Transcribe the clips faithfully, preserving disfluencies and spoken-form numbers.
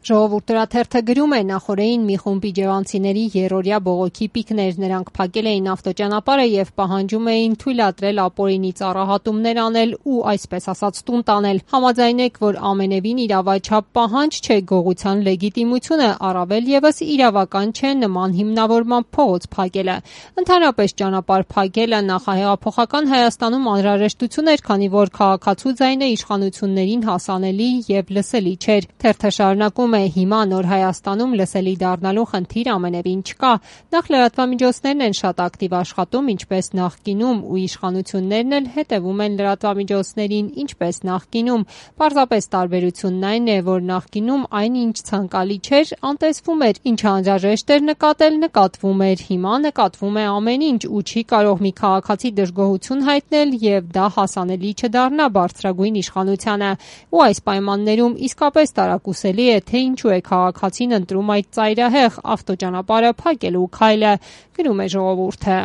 Ժողովուրդ հրաթերթը գրում է, նախօրեին մի խումբ իջևանցիների երրորդյա բողոքի պիկներ, նրանք փակել էին ավտոճանապարհը եւ պահանջում էին թույլատրել ապօրինի ծառահատումներ անել ու այսպես ասած տուն տանել։ Համաձայնեք, որ ամենևին իրավաչափ պահանջ չէ գողության լեգիտիմությունը, առավել եւս իրավական չէ նման հիմնավորմամբ փողոց փակելը։ Ընդհանրապես ճանապարհ փակելը նախահեղափոխական Հայաստանում անհրաժեշտություն էր, քանի որ քաղաքացու ձայնը իշխանություններին հասանելի եւ լսելի չէր։ Թերթը շարունակում է, հիմա նոր Հայաստանում լսելի դառնալու խնդիր ամենևին չկա։ Նախ լրատվամիջոցներն են շատ ակտիվ աշխատում, ինչպես նախկինում, ու իշխանություններն էլ հետևում են լրատվամիջոցներին, ինչպես նախկինում։ Պարզապես տարբերությունն այն է, որ նախկինում այն, ինչ ցանկալի չէր, անտեսվում էր, ինչը անհրաժեշտ էր նկատել, նկատվում էր։ Հիմա նկատվում է ամեն ինչ, ու չի կարող մի քաղաքացի դժգոհություն հայտնել եւ դա հասանելի չդառնա բարձրագույն իշխանությանը։ Ու այս պայմաններում իսկապես տարակուսելի է, թե ինչու է քաղաքացին ընտրում այդ ծայրահեղ ավտոճանապարհը փակելու քայլը, գրում է Ժողովուրդը։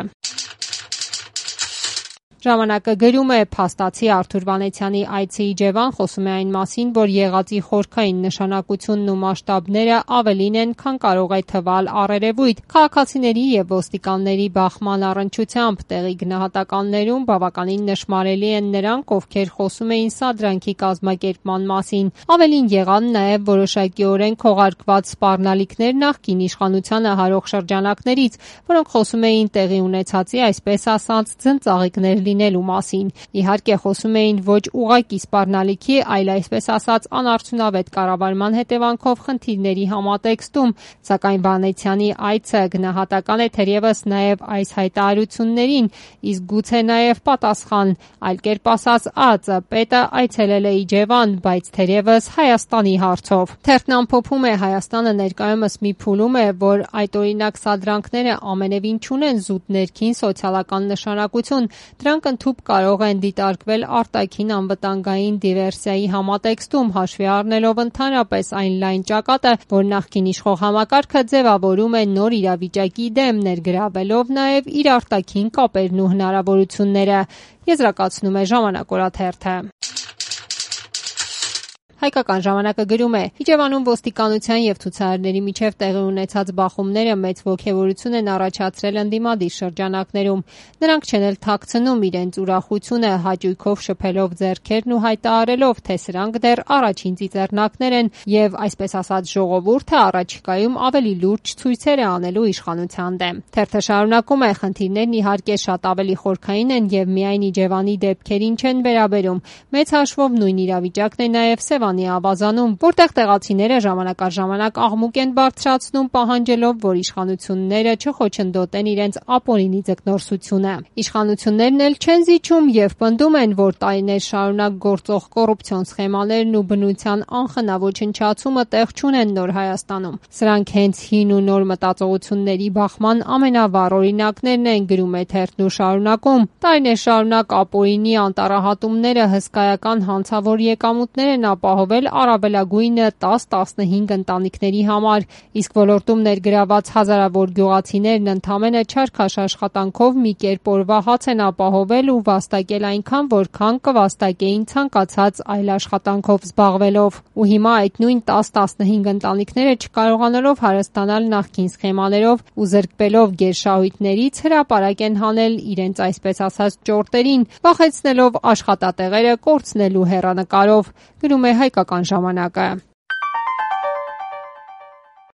Ժամանակը գրում է, փաստացի Արթուր Վանեցյանի այցը Իջևան խոսում է այն մասին, որ եղածի խորքային նշանակությունն ու մասշտաբները ավելին են, քան կարող է թվալ առերևույթ։ Քաղաքացիների եւ ոստիկանների բախման առնչությամբ տեղի գնահատականներում բավականին նշմարելի են նրանք, ովքեր խոսում էին սադրանքի կազմակերպման մասին։ Ավելին եղան նաեւ որոշակիորեն քողարկված սպառնալիքներ նախկին իշխանությանը հարող շրջանակներից, որոնք խոսում էին տեղի ունեցածի, այսպես ասած, ձնծաղիկներ լինելու մասին։ Իհարկե խոսում էին ոչ ուղղակի սպառնալիքի, այլ այսպես ասած անարդյունավետ կառավարման հետևանքով խնդիրների համատեքստում, սակայն Վանեցյանի այցը գնահատական է թերևս նաև այս հայտարարություններին, իսկ գուցե նաև պատասխան, այլ կերպ ասած ԱԾ պետը այցելել է Իջևան, բայց թերևս Հայաստանի հարցով։ Թերթն ամփոփում է, Հայաստանը ներկայումս մի փուլում է, որ այդ օրինակ սադրանքները ամենևին չունեն զուտ ներքին սոցիալական նշանակություն, դրանք ընդհուպ կարող են դիտարկվել արտաքին անվտանգային դիվերսիայի համատեքստում, հաշվի առնելով ընդհանրապես այն լայն ճակատը, որ նախկին իշխող համակարգը ձևավորում է նոր իրավիճակի դեմ, ներգրավելով նաև իր արտաքին կապերն ու հնարավորությունները, եզրակացնում է Ժամանակ օրաթերթը։ Հայկական ժամանակը գրում է. Իջևանում ոստիկանության եւ ցուցարարների միջև տեղի ունեցած բախումները մեծ ոգևորություն են առաջացրել ընդդիմադիր շրջանակներում։ Նրանք չեն էլ թաքցնում իրենց ուրախությունը, հաճույքով շփելով ձեռքերն ու հայտարարելով, թե սրանք դեռ առաջին ծիծեռնակներ են եւ այսպես ասած ժողովուրդը առաջիկայում ավելի լուրջ ցույցեր է անելու իշխանության դեմ։ Թերթը շարունակում է. խնդիրներն իհարկե շատ ավելի խորքային են եւ միայն Իջևանի դեպքերին չեն վերաբերում։ Մեծ հաշվով նույն իրավիճակն է նաեւ Սևանի ավազանում, որտեղ տեղացիները ժամանակ առ ժամանակ աղմուկ են բարձրացնում, պահանջելով, որ իշխանությունները չխոչընդոտեն իրենց ապօրինի ձկնորսությունը։ Իշխանություններն էլ չեն զիջում եւ պնդում են, որ տարիներ շարունակ գործող կոռուպցիոն սխեմաներն ու բնության անխնա ոչնչացումը տեղ չունեն նոր Հայաստանում։ Սրանք հենց հին ու նոր մտածողությունների բախման ամենավառ օրինակներն են, գրում է թերթն ու շարունակում։ Տարիներ շարունակ ապօրինի անտառահատումները հսկայական հանցավոր եկամուտներ են ապահովել առավելագույնը տաս տասնհինգ ընտանիքների համար, իսկ ոլորտում ներգրաված հազարավոր գյուղացիներն ընդամենը չարքաշ աշխատանքով մի կերպ օրվա հաց են ապահովել ու վաստակել այնքան, որքան կվաստակեին ցանկացած այլ աշխատանքով զբաղվելով։ Ու հիմա այդ նույն տաս տասնհինգ ընտանիքները չկարողանալով հարստանալ նախկին սխեմաներով ու զրկվելով գերշահույթներից հրապարակ են հանել իրենց այսպես ասած ճորտերին, վախեցնելով աշխատատեղերը կորցնելու հեռանկարով, գրում է Հայկական ժամանակը։